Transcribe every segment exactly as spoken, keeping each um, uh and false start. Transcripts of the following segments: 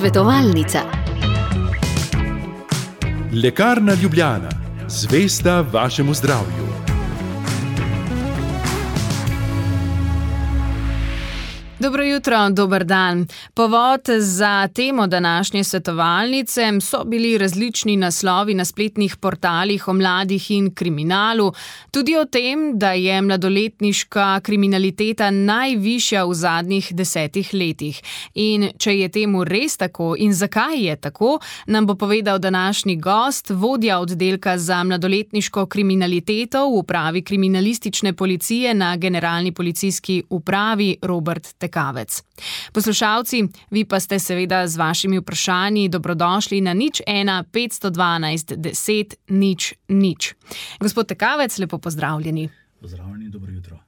Svetovalnica. Lekarna Ljubljana, zvesta vašemu zdravju. Dobro jutro, dober dan. Povod za temo današnje svetovalnice so bili različni naslovi na spletnih portalih o mladih in kriminalu, tudi o tem, da je mladoletniška kriminaliteta najvišja v zadnjih desetih letih. In če je temu res tako in zakaj je tako, nam bo povedal današnji gost, vodja oddelka za mladoletniško kriminaliteto v upravi kriminalistične policije na Generalni policijski upravi Robert Tekavec. Poslušalci, vi pa ste seveda z vašimi vprašanji dobrodošli na nič ena petsto dvanajst deset nič nič. Gospod Tekavec, lepo pozdravljeni. Pozdravljeni, dobro jutro.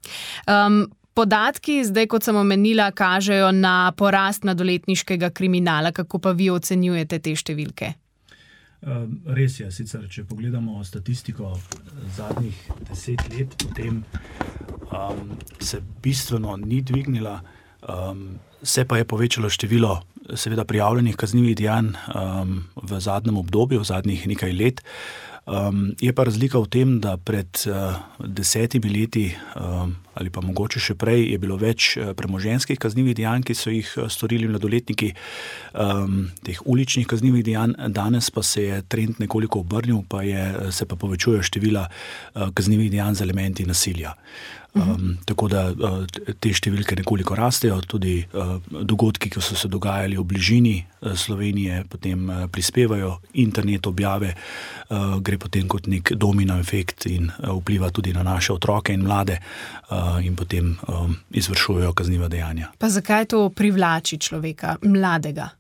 Um, podatki, zdaj kot sem omenila, kažejo na porast mladoletniškega kriminala. Kako pa vi ocenjujete te številke? Res je, sicer, če pogledamo statistiko zadnjih deset let, potem um, se bistveno ni dvignila. Um, se pa je povečalo število seveda prijavljenih kaznivih dejanj um, v zadnjem obdobju, v zadnjih nekaj let. Um, je pa razlika v tem, da pred uh, desetimi leti um, ali pa mogoče še prej je bilo več uh, premoženjskih kaznivih dejanj, ki so jih uh, storili mladoletniki, um, teh uličnih kaznivih dejanj. Danes pa se je trend nekoliko obrnil, pa je, se pa povečujejo števila uh, kaznivih dejanj z elementi nasilja. Um, tako da uh, te številke nekoliko rastejo, tudi uh, dogodki, ki so se dogajali v bližini uh, Slovenije, potem uh, prispevajo, internet objave uh, gre potem kot nek domino efekt in uh, vpliva tudi na naše otroke in mlade uh, in potem um, izvršujejo kazniva dejanja. Pa zakaj to privlači človeka, mladega?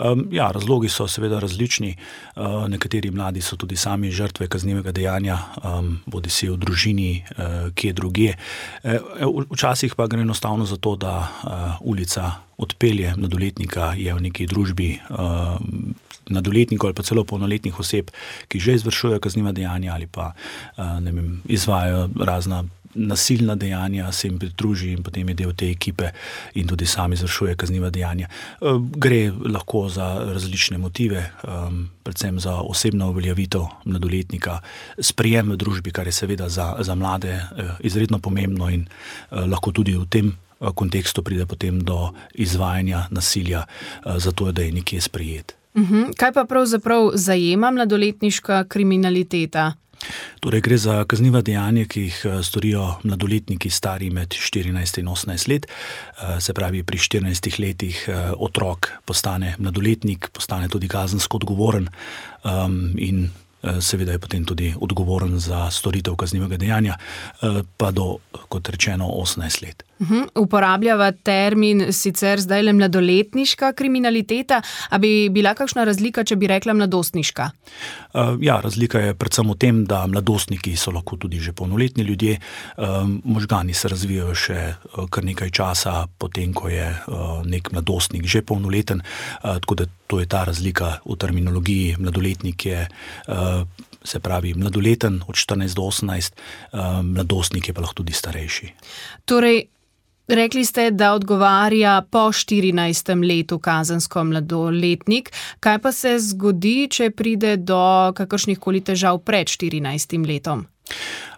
Um, ja, razlogi so seveda različni. Uh, nekateri mladi so tudi sami žrtve kaznivega dejanja, um, bodi si v družini, uh, kje drugje. Uh, včasih pa gre enostavno za to, da uh, ulica odpelje mladoletnika, je v neki družbi uh, mladoletnikov ali pa celo polnoletnih oseb, ki že izvršujejo kazniva dejanja ali pa uh, ne vem, izvajajo razna nasilna dejanja, se jim pridruži in potem je del te ekipe in tudi sami izvršuje kazniva dejanja. Gre lahko za različne motive, predvsem za osebno uveljavitev mladoletnika, sprejem v družbi, kar je seveda za, za mlade izredno pomembno in lahko tudi v tem kontekstu pride potem do izvajanja nasilja, zato da je nekje sprejet. Uhum. Kaj pa pravzaprav zajema mladoletniška kriminaliteta? Torej gre za kazniva dejanja, ki jih storijo mladoletniki stari med štirinajst in osemnajst let. Se pravi, pri štirinajstih letih otrok postane mladoletnik, postane tudi kazensko odgovoren um, in seveda je potem tudi odgovoren za storitev kaznivega dejanja, pa do, kot rečeno, osemnajst let. Uhum. Uporabljava termin sicer zdaj le mladoletniška kriminaliteta, a bi bila kakšna razlika, če bi rekla mladostniška? Uh, ja, razlika je predvsem v tem, da mladostniki so lahko tudi že polnoletni ljudje, um, možgani se razvijajo še uh, kar nekaj časa potem, ko je uh, nek mladostnik že polnoleten, uh, tako da to je ta razlika v terminologiji. Mladoletnik je uh, se pravi mladoleten od štirinajst do osemnajst, uh, mladostnik je pa lahko tudi starejši. Torej, rekli ste, da odgovarja po štirinajstem letu kazensko mladoletnik. Kaj pa se zgodi, če pride do kakršnihkoli težav pred štirinajstim letom?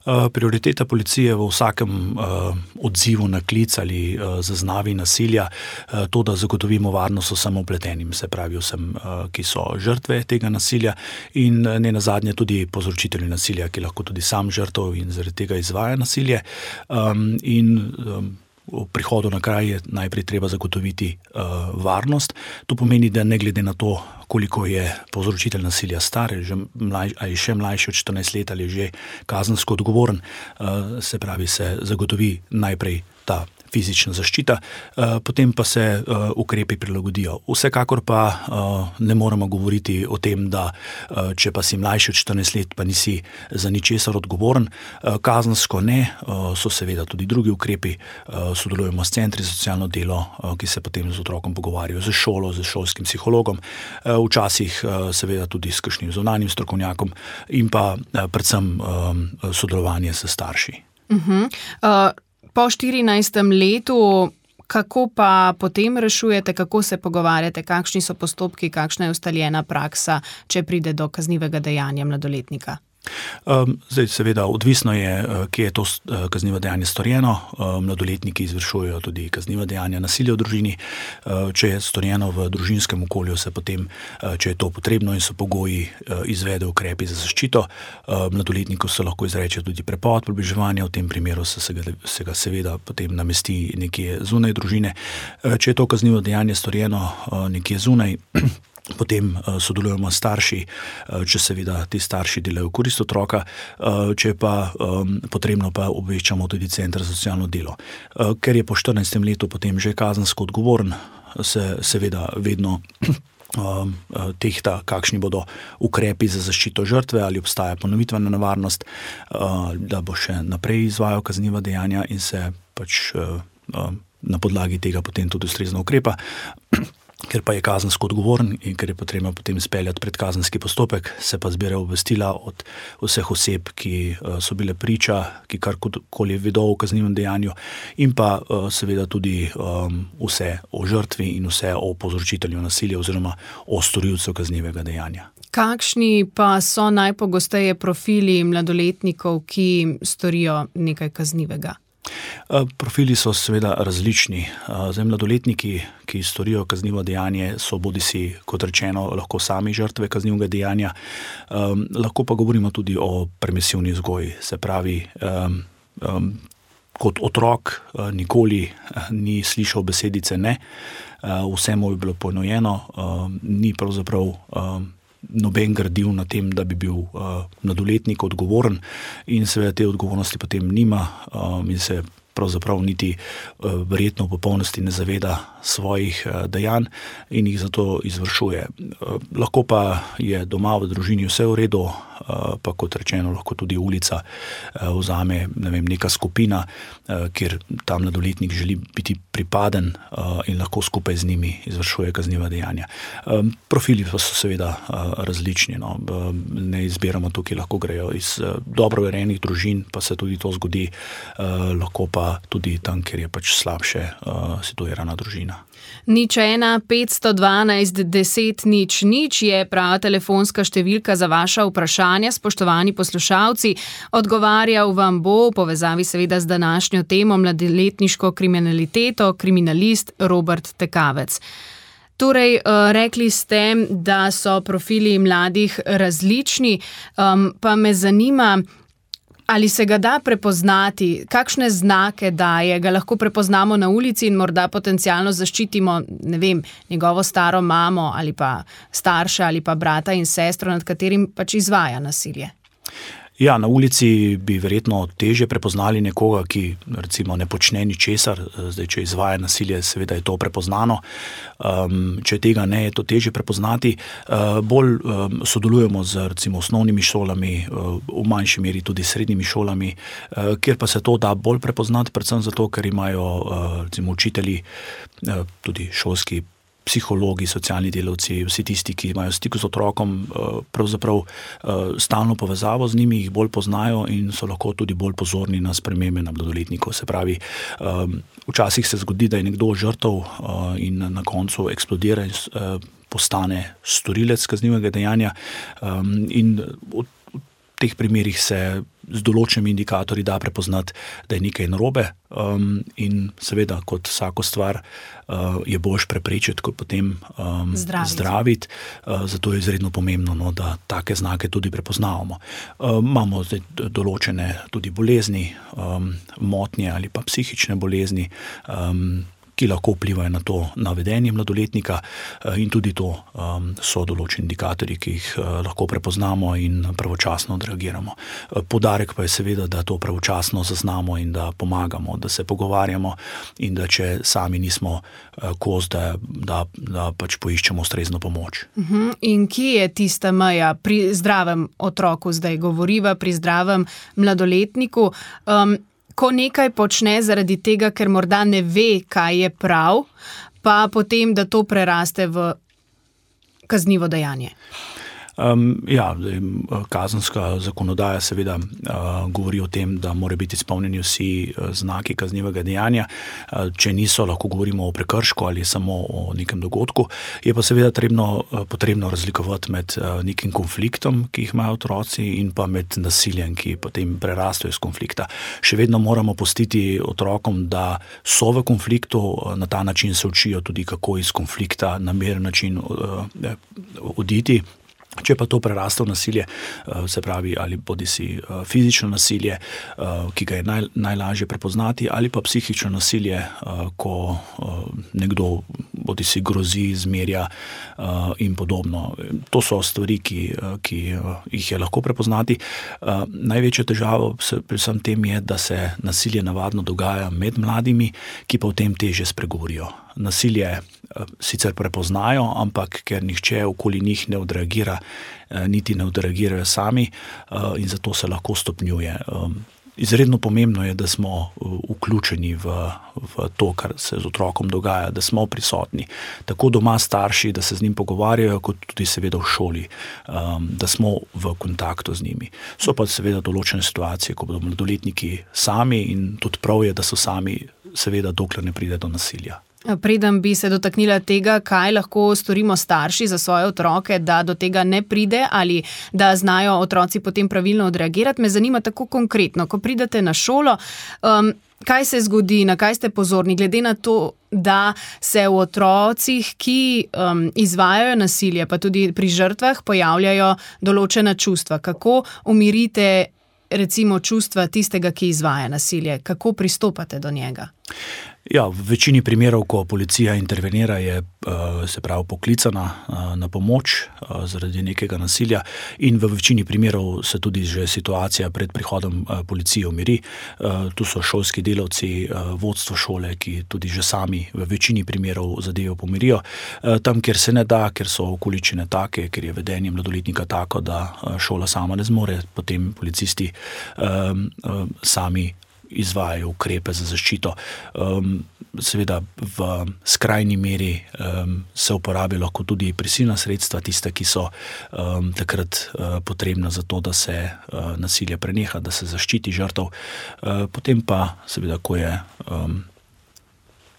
Uh, prioriteta policije v vsakem uh, odzivu na klic ali uh, zaznavi nasilja uh, to, da zagotovimo varnost vsem vpletenim, se pravi vsem, uh, ki so žrtve tega nasilja in uh, ne nazadnje tudi povzročitelji nasilja, ki lahko tudi sam žrtev in zaradi tega izvaja nasilje. Um, in um, V prihodu na kraj je najprej treba zagotoviti uh, varnost. To pomeni, da ne glede na to, koliko je povzročitelj nasilja star, ali, že mlaj, ali še mlajši od štirinajst let ali že kazensko odgovoren, uh, se pravi, se zagotovi najprej ta fizična zaščita, uh, potem pa se uh, ukrepi prilagodijo. Vsekakor pa uh, ne moremo govoriti o tem, da uh, če pa si mlajši od štirinajst let, pa nisi za ničesar odgovoren. Uh, kazensko ne, uh, so seveda tudi drugi ukrepi, uh, sodelujemo s centri za socialno delo, uh, ki se potem z otrokom pogovarjajo, z šolo, z šolskim psihologom, uh, včasih uh, seveda tudi s kakšnim zunanjim strokovnjakom in pa uh, predvsem um, sodelovanje s starši. Uh-huh. Uh, po štirinajstem letu Kako pa potem rešujete, kako se pogovarjate, kakšni so postopki, kakšna je ustaljena praksa, če pride do kaznivega dejanja mladoletnika? Um, zdaj, seveda, odvisno je, kje je to kaznivo dejanje storjeno. Um, mladoletniki izvršujejo tudi kazniva dejanja nasilja v družini. Uh, če je storjeno v družinskem okolju, se potem, uh, če je to potrebno in so pogoji, uh, izvede ukrepi za zaščito. Uh, mladoletniku se lahko izreče tudi prepoved približevanja, v tem primeru se, se, ga, se ga seveda potem namesti nekje zunaj družine. Uh, če je to kaznivo dejanje storjeno uh, nekje zunaj, potem uh, sodelujemo s starši, uh, če seveda ti starši delajo v korist otroka, uh, če pa um, potrebno pa obveščamo tudi center za socialno delo. Uh, ker je po štirinajstem letu potem že kazensko odgovoren, se seveda vedno um, tehta, kakšni bodo ukrepi za zaščito žrtve, ali obstaja ponovitvena nevarnost, uh, da bo še naprej izvajal kazniva dejanja in se pač uh, uh, na podlagi tega potem tudi ustrezno ukrepa. Ker pa je kazensko odgovoren in ker je potrebno potem speljati predkazenski postopek, se pa zbira obvestila od vseh oseb, ki so bile priča, ki karkoli vedo o kaznivem dejanju, in pa seveda tudi um, vse o žrtvi in vse o povzročitelju nasilja oziroma o storilcu kaznivega dejanja. Kakšni pa so najpogosteje profili mladoletnikov, ki storijo nekaj kaznivega? Profili so seveda različni. Zdaj, mladoletniki, ki storijo kaznivo dejanje, so bodisi, kot rečeno, lahko sami žrtve kaznivega dejanja, um, lahko pa govorimo tudi o permisivni vzgoji. Se pravi, um, um, kot otrok uh, nikoli uh, ni slišal besedice ne, uh, vse mu je bilo ponujeno, uh, ni pravzaprav um, noben gradil na tem, da bi bil uh, mladoletnik odgovoren in seveda te odgovornosti potem nima um, in se pravzaprav niti uh, verjetno v popolnosti ne zaveda svojih uh, dejanj in jih zato izvršuje. Uh, lahko pa je doma v družini vse v redu, uh, pa kot rečeno, lahko tudi ulica uh, vzame, ne vem, neka skupina, uh, kjer ta mladoletnik želi biti pripaden uh, in lahko skupaj z njimi izvršuje kazniva dejanja. Um, profili pa so seveda uh, različni. No. Uh, ne izbiramo tukaj, lahko grejo iz uh, dobro urejenih družin, pa se tudi to zgodi, uh, lahko pa tudi tam, kjer je pač slabše uh, situirana družina. Nič ena, petsto dvanajst, deset, nič, nič je prava telefonska številka za vaša vprašanja, spoštovani poslušalci. Odgovarjal vam bo v povezavi seveda z današnjo temo mladoletniško kriminaliteto kriminalist Robert Tekavec. Torej, rekli ste, da so profili mladih različni, um, pa me zanima, ali se ga da prepoznati, kakšne znake daje, ga lahko prepoznamo na ulici in morda potencialno zaščitimo, ne vem, njegovo staro mamo ali pa starša ali pa brata in sestro, nad katerim pač izvaja nasilje. Ja, na ulici bi verjetno težje prepoznali nekoga, ki recimo ne počne ničesar. Zdaj, če izvaja nasilje, seveda je to prepoznano. Um, če tega ne, je to težje prepoznati. Uh, bolj um, sodelujemo z recimo osnovnimi šolami, uh, v manjši meri tudi srednjimi šolami, uh, kjer pa se to da bolj prepoznati, predvsem zato, ker imajo uh, recimo učitelji, uh, tudi šolski psihologi, socialni delavci, vsi tisti, ki imajo stik z otrokom, pravzaprav stalno povezavo z njimi, jih bolj poznajo in so lahko tudi bolj pozorni na spremembe na mladoletnikov. Se pravi, včasih se zgodi, da je nekdo žrtev in na koncu eksplodira in postane storilec kaznivega dejanja in v teh primerih se z določenimi indikatorji da prepoznati, da je nekaj narobe um, in seveda kot vsako stvar uh, je boljš preprečiti, kot potem um, zdraviti. zdraviti. Uh, zato je izredno pomembno, no, da take znake tudi prepoznavamo. Uh, imamo zdaj določene tudi bolezni, um, motnje ali pa psihične bolezni, um, ki lahko vplivajo na to navedenje mladoletnika in tudi to um, so določeni indikatorji, ki jih uh, lahko prepoznamo in pravočasno odreagiramo. Poudarek pa je seveda, da to pravočasno zaznamo in da pomagamo, da se pogovarjamo in da če sami nismo uh, kos, da, da, da pač poiščemo ustrezno pomoč. Uh-huh. In kje je tista meja pri zdravem otroku, zdaj govoriva, pri zdravem mladoletniku? Um, Ko nekaj počne zaradi tega, ker morda ne ve, kaj je prav, pa potem, da to preraste v kaznivo dejanje? Um, ja, kazenska zakonodaja seveda uh, govori o tem, da mora biti izpolnjeni vsi uh, znaki kaznivega dejanja. Uh, če niso, lahko govorimo o prekršku ali samo o nekem dogodku. Je pa seveda trebno, uh, potrebno razlikovati med uh, nekim konfliktom, ki jih imajo otroci, in pa med nasiljem, ki potem prerastejo iz konflikta. Še vedno moramo pustiti otrokom, da so v konfliktu, uh, na ta način se učijo tudi, kako iz konflikta na miren način uh, oditi. Če pa to preraste v nasilje, se pravi, ali bodisi fizično nasilje, ki ga je naj, najlažje prepoznati, ali pa psihično nasilje, ko nekdo bodisi grozi, zmerja in podobno. To so stvari, ki, ki jih je lahko prepoznati. Največja težava pri vsem tem je, da se nasilje navadno dogaja med mladimi, ki pa o tem težje spregovorijo. Nasilje sicer prepoznajo, ampak ker nihče okoli njih ne odreagira, niti ne odreagirajo sami, in zato se lahko stopnjuje. Izredno pomembno je, da smo vključeni v, v to, kar se z otrokom dogaja, da smo prisotni. Tako doma starši, da se z njim pogovarjajo, kot tudi seveda v šoli, da smo v kontaktu z njimi. So pa seveda določene situacije, ko bodo mladoletniki sami, in tudi prav je, da so sami, seveda dokler ne pride do nasilja. Preden bi se dotaknila tega, kaj lahko storimo starši za svoje otroke, da do tega ne pride ali da znajo otroci potem pravilno odreagirati, me zanima tako konkretno, ko pridete na šolo, um, kaj se zgodi, na kaj ste pozorni, glede na to, da se v otrocih, ki um, izvajajo nasilje, pa tudi pri žrtvah pojavljajo določena čustva. Kako umirite recimo čustva tistega, ki izvaja nasilje? Kako pristopate do njega? Ja, v večini primerov, ko policija intervenira, je se pravi poklicana na pomoč zaradi nekega nasilja, in v večini primerov se tudi že situacija pred prihodom policije umiri. Tu so šolski delavci, vodstvo šole, ki tudi že sami v večini primerov zadevo pomirijo. Tam, kjer se ne da, ker so okoličine take, ker je vedenje mladoletnika tako, da šola sama ne zmore, potem policisti um, um, sami izvajajo ukrepe za zaščito. Um, seveda v skrajni meri um, se uporabljajo lahko tudi prisilna sredstva, tiste, ki so um, takrat uh, potrebna za to, da se uh, nasilje preneha, da se zaščiti žrtev. Uh, potem pa seveda, ko je um,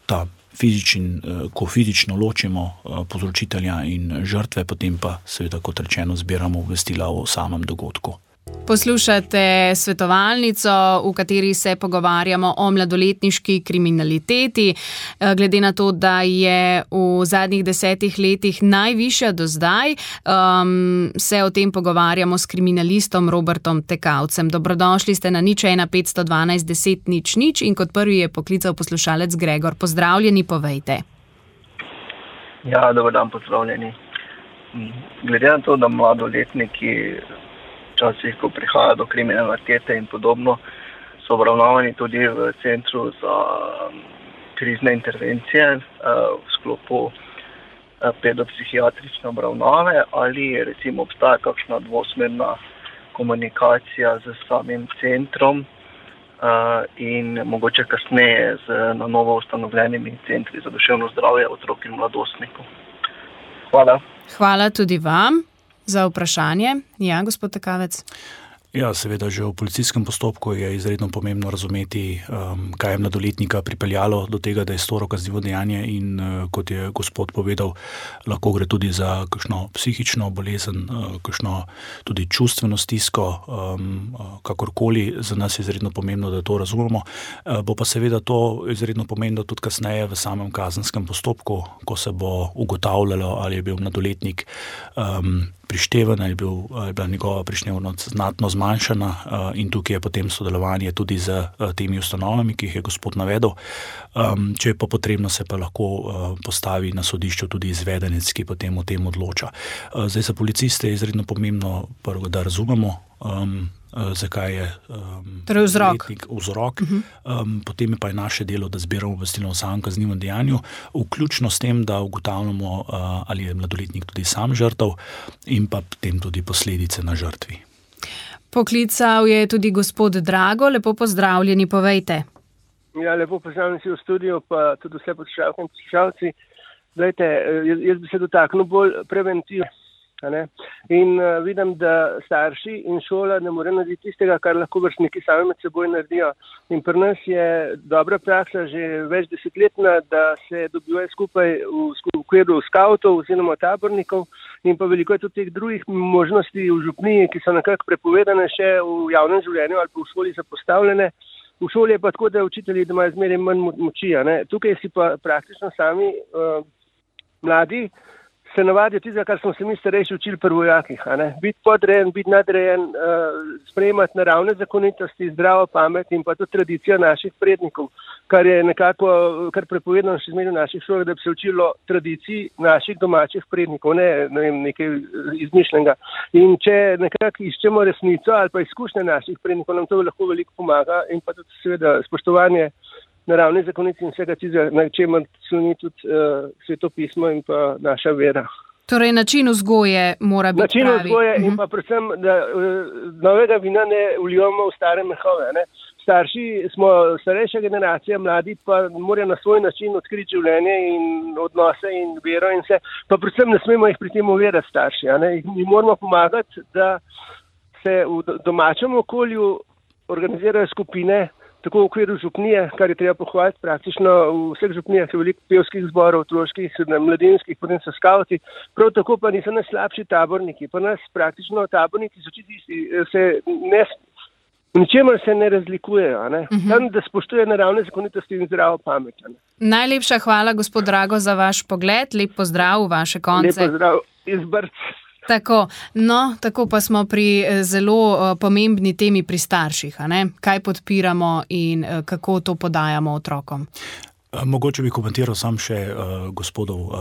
ta fizičen, uh, ko fizično ločimo uh, povzročitelja in žrtve, potem pa seveda, kot rečeno, zbiramo obvestila o samem dogodku. Poslušate svetovalnico, v kateri se pogovarjamo o mladoletniški kriminaliteti. Glede na to, da je v zadnjih desetih letih najvišja do zdaj, um, se o tem pogovarjamo s kriminalistom Robertom Tekavcem. Dobrodošli ste na nič ena petsto dvanajst deset nič nič in kot prvi je poklical poslušalec Gregor. Pozdravljeni, povejte. Ja, dober dan, pozdravljeni. Glede na to, da mladoletniki včasih, ko prihaja do kriminalitete in podobno, so obravnavani tudi v centru za krizne intervencije v sklopu pedopsihiatrične obravnave, ali recimo obstaja kakšna dvosmerna komunikacija z samim centrom in mogoče kasneje z na novo ustanovljenimi centri za duševno zdravje otrok in mladostnikov. Hvala. Hvala tudi vam za vprašanje. Ja, gospod Tekavec. Ja, seveda, že v policijskem postopku je izredno pomembno razumeti, um, kaj je mladoletnika pripeljalo do tega, da je storil kaznivo dejanje, in uh, kot je gospod povedal, lahko gre tudi za kakšno psihično bolezen, uh, kakšno tudi čustveno stisko, um, uh, kakorkoli. Za nas je izredno pomembno, da to razumemo. Uh, bo pa seveda to izredno pomembno tudi kasneje v samem kazenskem postopku, ko se bo ugotavljalo, ali je bil mladoletnik um, prišteven, ali je, bil, ali je bila njegova prištevnost znatno zmanjšana, in tukaj je potem sodelovanje tudi z temi ustanovami, ki jih je gospod navedel. Če je pa potrebno, se pa lahko postavi na sodišču tudi izvedenec, ki potem o tem odloča. Zdaj, za policiste je izredno pomembno prvo, da razumemo, um, zakaj je um, torej vzrok. vzrok. Uh-huh. Um, potem je pa je naše delo, da zbiramo obvestilo o samem kaznivem dejanju, vključno s tem, da ugotavljamo, uh, ali je mladoletnik tudi sam žrtev, in pa potem tudi posledice na žrtvi. Poklical je tudi gospod Drago. Lepo pozdravljeni, povejte. Ja, lepo pozdravljeni si v studiu, pa tudi vse poslušalke in poslušalci. Glejte, jaz, jaz bi se dotaknil bolj preventiv, A ne? In uh, vidim, da starši in šola ne morejo narediti tistega, kar lahko vrstniki sami med seboj naredijo. In pri nas je dobra praksa že več desetletna, da se dobivajo skupaj v okviru skavtov oziroma tabornikov in pa veliko je tudi teh drugih možnosti v župniji, ki so nekako prepovedane še v javnem življenju ali pa v šoli zapostavljene. V šoli je pa tako, da učitelji imajo zmeraj manj moči. A ne? Tukaj si pa praktično sami uh, mladi se navadijo tistega, kar smo se mi starejši učili pri vojakih. Biti podrejen, biti nadrejen, uh, sprejemati naravne zakonitosti, zdravo pamet in pa tudi tradicijo naših prednikov, kar je nekako, kar prepovedano še zmeraj v naših šolah, da bi se učilo tradiciji naših domačih prednikov, ne, ne vem, nekaj izmišljenega. In če nekako iščemo resnico ali pa izkušnje naših prednikov, nam to lahko veliko pomaga in pa tudi seveda spoštovanje naravne zakonice in vsega tistega, na čemer sloni tudi uh, svetopismo in pa naša vera. Torej, način vzgoje mora biti način pravi. Način vzgoje uh-huh. In pa predvsem, da uh, novega vina ne vlijamo v stare mehove. Ne? Starši smo starejša generacija, mladi pa morajo na svoj način odkriti življenje in odnose in vero in vse. Pa predvsem ne smemo jih pri tem uverati starši. A ne? Mi moramo pomagati, da se v domačem okolju organizirajo skupine, tako v okviru župnije, kar je treba pohvaliti, praktično v vseh župnijah je veliko pevskih zborov, otroških, mladinskih, potem so skavti, prav tako pa niso najslabši taborniki. Pa nas praktično taborniki so čisti, se ne, v ničemer se ne razlikujejo, ne? Uh-huh. Tam, da spoštuje naravne zakonitosti in zdravo pamet. Ne? Najlepša hvala, gospod Drago, za vaš pogled. Lep pozdrav v vaše konce. Lep pozdrav iz Brc. Tako, no, tako pa smo pri zelo uh, pomembni temi pri starših, a ne? Kaj podpiramo in uh, kako to podajamo otrokom? Mogoče bi komentiral sam še uh, gospodov uh,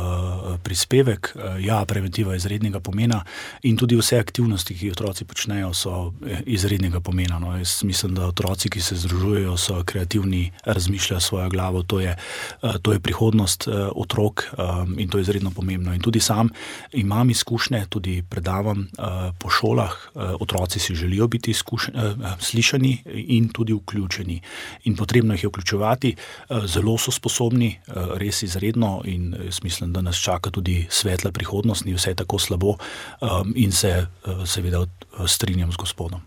prispevek. Uh, ja, preventiva je izrednega pomena in tudi vse aktivnosti, ki otroci počnejo, so izrednega pomena. No. Jaz mislim, da otroci, ki se združujejo, so kreativni, razmišljajo svojo glavo, to je, uh, to je prihodnost uh, otrok um, in to je izredno pomembno. In tudi sam imam izkušnje, tudi predavam uh, po šolah, uh, otroci si želijo biti izkušen, uh, slišani in tudi vključeni. In potrebno jih je vključevati, uh, zelo so sposobni, res izredno in jaz mislim, da nas čaka tudi svetla prihodnost, ni vse tako slabo in se seveda strinjam z gospodom.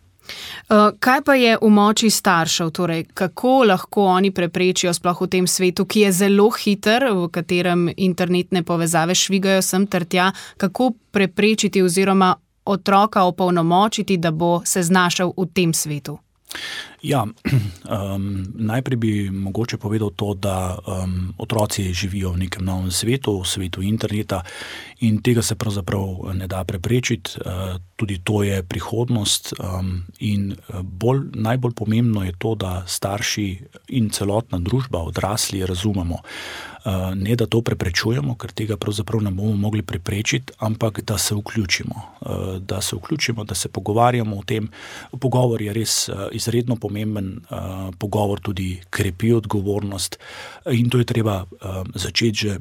Kaj pa je v moči staršev, torej kako lahko oni preprečijo sploh v tem svetu, ki je zelo hiter, v katerem internetne povezave švigajo sem ter tja, kako preprečiti oziroma otroka opolnomočiti, da bo se znašel v tem svetu? Ja, um, najprej bi mogoče povedal to, da um, otroci živijo v nekem novem svetu, v svetu interneta in tega se pravzaprav ne da preprečiti. Uh, tudi to je prihodnost um, in bolj, najbolj pomembno je to, da starši in celotna družba, odrasli, razumemo. Uh, ne, da to preprečujemo, ker tega pravzaprav ne bomo mogli preprečiti, ampak da se vključimo. Uh, da se vključimo, da se pogovarjamo o tem. Pogovor je res uh, izredno pomemben, uh, pogovor tudi krepi odgovornost in to je treba uh, začeti že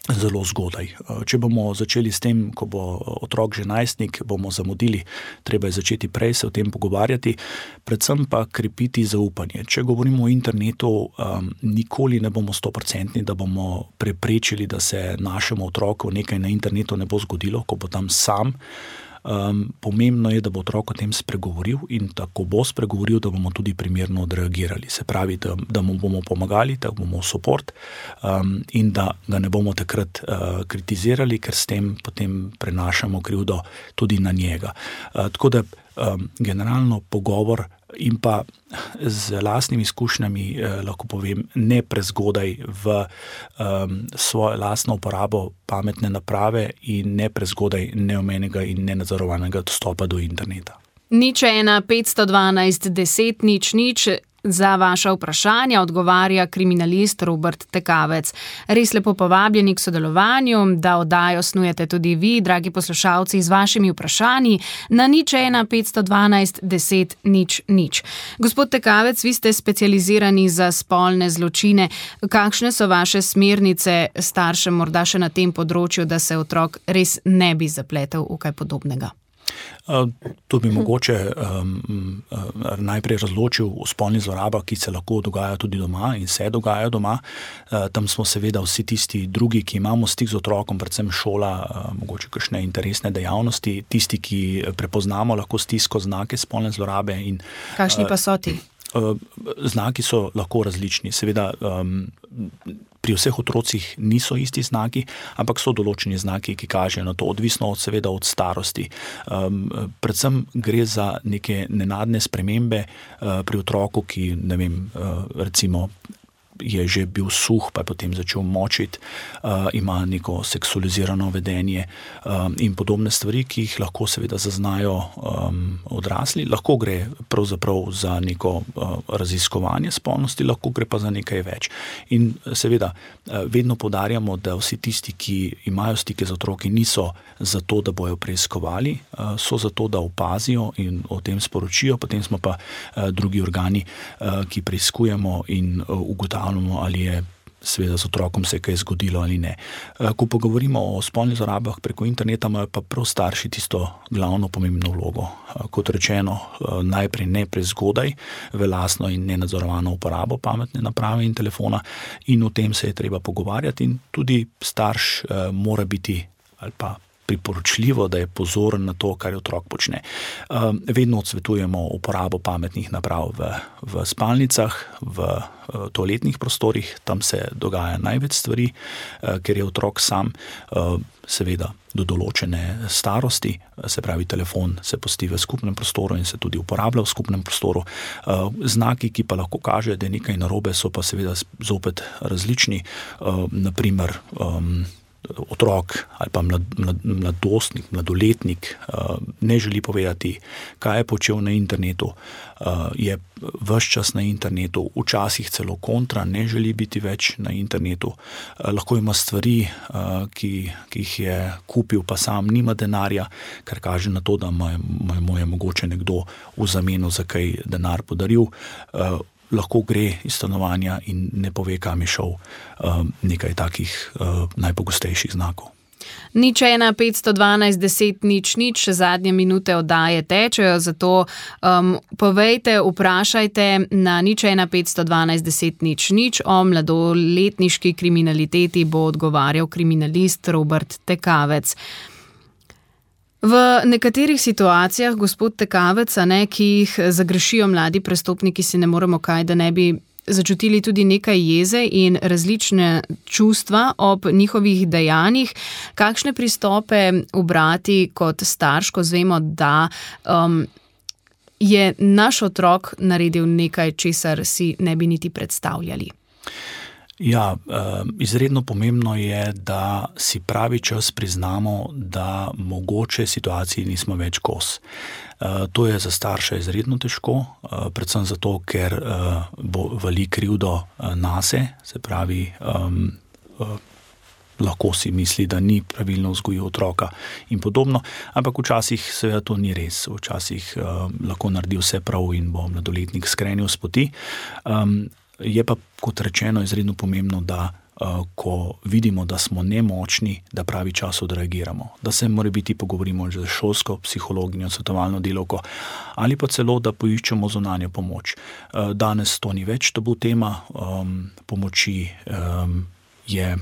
zelo zgodaj. Če bomo začeli s tem, ko bo otrok že najstnik, bomo zamudili, treba je začeti prej se o tem pogovarjati, predvsem pa krepiti zaupanje. Če govorimo o internetu, um, nikoli ne bomo stoprocentni, da bomo preprečili, da se našemu otroku nekaj na internetu ne bo zgodilo, ko bo tam sam. Um, pomembno je, da bo otrok o tem spregovoril in tako bo spregovoril, da bomo tudi primerno odreagirali. Se pravi, da, da mu bomo pomagali, da bomo support um, in da ga ne bomo takrat uh, kritizirali, ker s tem potem prenašamo krivdo tudi na njega. Uh, tako da um, generalno pogovor in pa z lastnimi izkušnjami eh, lahko povem, ne prezgodaj v um, svojo lastno uporabo pametne naprave in ne prezgodaj neomenjenega in nenadzorovanega dostopa do interneta. Nič ena petsto dvanajst deset nič nič. Za vaša vprašanja odgovarja kriminalist Robert Tekavec. Res lepo povabljeni k sodelovanju, da oddajo snujete tudi vi, dragi poslušalci, z vašimi vprašanji na nič ena petsto dvanajst deset nič nič. Gospod Tekavec, vi ste specializirani za spolne zločine. Kakšne so vaše smernice staršem morda še na tem področju, da se otrok res ne bi zapletel v kaj podobnega? To bi mogoče um, najprej razločil o spolnih zlorabah, ki se lahko dogajajo tudi doma in se dogajajo doma. Tam smo seveda vsi tisti drugi, ki imamo stik z otrokom, predvsem šola, mogoče kakšne interesne dejavnosti, tisti, ki prepoznamo lahko stisko, znake spolne zlorabe. In, kakšni pa so ti? Znaki so lahko različni. Seveda um, pri vseh otrocih niso isti znaki, ampak so določeni znaki, ki kažejo na to, odvisno od, seveda od starosti. Um, predvsem gre za neke nenadne spremembe uh, pri otroku, ki, ne vem, uh, recimo je že bil suh, pa je potem začel močiti, uh, ima neko seksualizirano vedenje um, in podobne stvari, ki jih lahko seveda zaznajo um, odrasli. Lahko gre pravzaprav za neko uh, raziskovanje spolnosti, lahko gre pa za nekaj več. In seveda uh, vedno poudarjamo, da vsi tisti, ki imajo stike z otroki, niso zato, da bojo preiskovali, uh, so zato, da opazijo in o tem sporočijo, potem smo pa uh, drugi organi, uh, ki preiskujemo in uh, ugotavljamo, ali je seveda z otrokom se kaj zgodilo ali ne. Ko pa govorimo o spolnih zlorabah preko interneta, imajo pa prav starši tisto glavno pomembno vlogo. Kot rečeno, najprej ne prezgodaj v lastno in nenadzorovano uporabo pametne naprave in telefona, in o tem se je treba pogovarjati, in tudi starš mora biti ali pa priporočljivo, da je pozoren na to, kar je otrok počne. Vedno odsvetujemo uporabo pametnih naprav v, v spalnicah, v toaletnih prostorih, tam se dogaja največ stvari, ker je otrok sam seveda do določene starosti, se pravi telefon se pusti v skupnem prostoru in se tudi uporablja v skupnem prostoru. Znaki, ki pa lahko kažejo, da je nekaj narobe, so pa seveda zopet različni, naprimer otrok ali pa mlad, mlad, mladostnik, mladoletnik uh, ne želi povedati, kaj je počel na internetu, uh, je ves čas na internetu, včasih celo kontra, ne želi biti več na internetu, uh, lahko ima stvari, uh, ki, ki jih je kupil, pa sam nima denarja, kar kaže na to, da mu je mogoče nekdo v zameno za kaj denar podaril. Uh, lahko gre iz stanovanja in ne pove, kam je šel, nekaj takih najpogostejših znakov. Nič ena, petsto dvanajst, deset, nič, nič, zadnje minute oddaje tečejo, zato um, povejte, vprašajte na nič ena, petsto dvanajst, deset, nič, nič. O mladoletniški kriminaliteti bo odgovarjal kriminalist Robert Tekavec. V nekaterih situacijah, gospod Tekavec, ne, ki jih zagrešijo mladi prestopniki, si ne moremo kaj, da ne bi začutili tudi nekaj jeze in različne čustva ob njihovih dejanjih. Kakšne pristope ubrati kot starš, ko zvemo, da um, je naš otrok naredil nekaj, česar si ne bi niti predstavljali? Ja, izredno pomembno je, da si pravi čas priznamo, da mogoče situaciji nismo več kos. To je za starša izredno težko, predvsem zato, ker bo vali krivdo nase, se pravi, lahko si misli, da ni pravilno vzgojil otroka in podobno, ampak včasih seveda to ni res. Včasih lahko naredi vse prav in bo mladoletnik skrenil s poti. Je pa, kot rečeno, izredno pomembno, da uh, ko vidimo, da smo nemočni, da pravi čas odreagiramo. Da se morebiti pogovorimo z šolsko psihologinjo, svetovalno delavko ali pa celo, da poiščemo zunanjo pomoč. Uh, danes to ni več tabu tema, um, pomoči um, je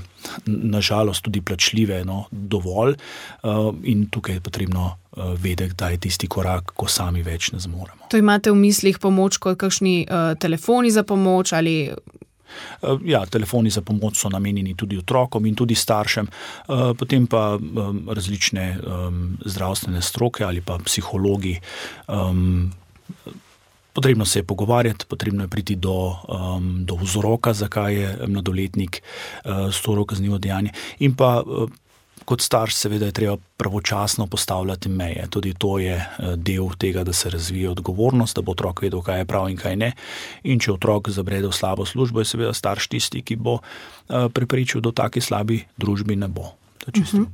nažalost tudi plačljive, no, dovolj uh, in tukaj je potrebno uh, vedeti, da je tisti korak, ko sami več ne zmoremo. To imate v mislih pomoč kot kakšni uh, telefoni za pomoč ali... Uh, ja, telefoni za pomoč so namenjeni tudi otrokom in tudi staršem, uh, potem pa um, različne um, zdravstvene stroke ali pa psihologi. Um, Potrebno se je pogovarjati, potrebno je priti do, um, do vzroka, zakaj je mladoletnik uh, storil kaznivo dejanje. In pa uh, kot starš seveda je treba pravočasno postavljati meje. Tudi to je uh, del tega, da se razvije odgovornost, da bo otrok vedel, kaj je prav in kaj ne. In če otrok zabrede v slabo službo, je seveda starš tisti, ki bo uh, prepričal, da v taki slabi družbi ne bo. To je čisto. Uh-huh.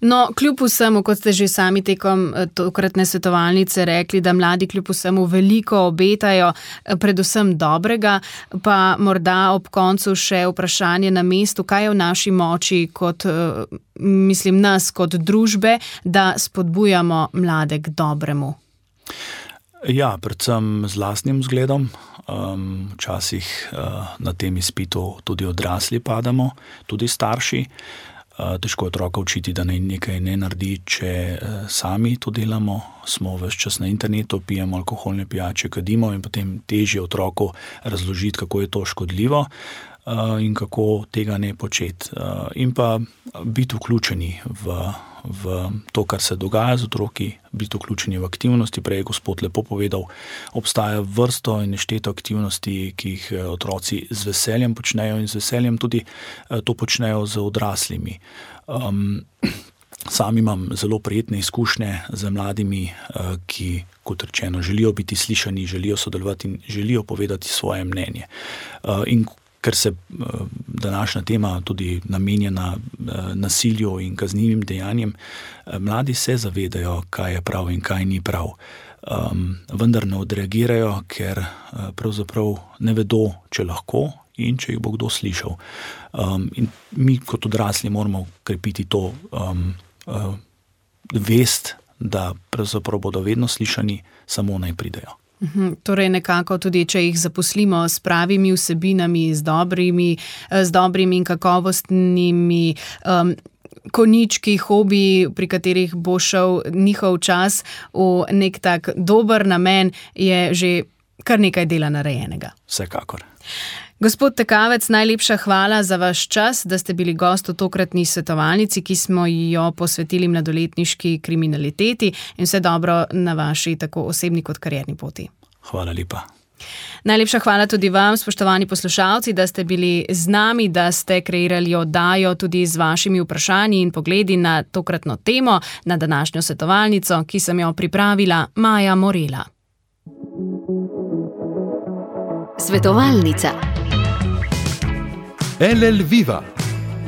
No, kljub vsemu, kot ste že sami tekom tokratne svetovalnice rekli, da mladi kljub vsemu veliko obetajo, predvsem dobrega, pa morda ob koncu še vprašanje na mestu, kaj je v naši moči kot, mislim, nas kot družbe, da spodbujamo mlade k dobremu. Ja, predvsem z lastnim vzgledom. Um, včasih uh, na tem izpitu tudi odrasli padamo, tudi starši. Uh, težko je otroka učiti, da naj nekaj ne naredi, če uh, sami to delamo. Smo ves čas na internetu, pijemo alkoholne pijače, kadimo in potem težje otroku razložiti, kako je to škodljivo uh, in kako tega ne početi. Uh, in pa biti vključeni v v to, kar se dogaja z otroki, biti vključeni v aktivnosti. Prej je gospod lepo povedal, obstaja vrsto in nešteto aktivnosti, ki jih otroci z veseljem počnejo in z veseljem tudi to počnejo z odraslimi. Um, sam imam zelo prijetne izkušnje z mladimi, ki, kot rečeno, želijo biti slišani, želijo sodelovati in želijo povedati svoje mnenje. In ker se današnja tema tudi namenjena nasilju in kaznivim dejanjem, mladi se zavedajo, kaj je prav in kaj ni prav. Um, vendar ne odreagirajo, ker pravzaprav ne vedo, če lahko in če jih bo kdo slišal. Um, in mi kot odrasli moramo krepiti to um, uh, vest, da pravzaprav bodo vedno slišani, samo naj pridejo. Torej nekako tudi, če jih zaposlimo s pravimi vsebinami, z dobrimi, z dobrimi in kakovostnimi um, konički, hobiji, pri katerih bo šel njihov čas v nek tak dober namen, je že kar nekaj dela narejenega. Vsekakor. Gospod Tekavec, najlepša hvala za vaš čas, da ste bili gost v tokratni svetovalnici, ki smo jo posvetili mladoletniški kriminaliteti, in vse dobro na vaši tako osebni kot karierni poti. Hvala lepa. Najlepša hvala tudi vam, spoštovani poslušalci, da ste bili z nami, da ste kreirali oddajo tudi z vašimi vprašanji in pogledi na tokratno temo, na današnjo svetovalnico, ki sem jo pripravila Maja Morela. Svetovalnica. L L Viva,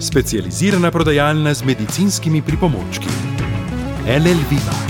specializirana prodajalna z medicinskimi pripomočki. L L Viva.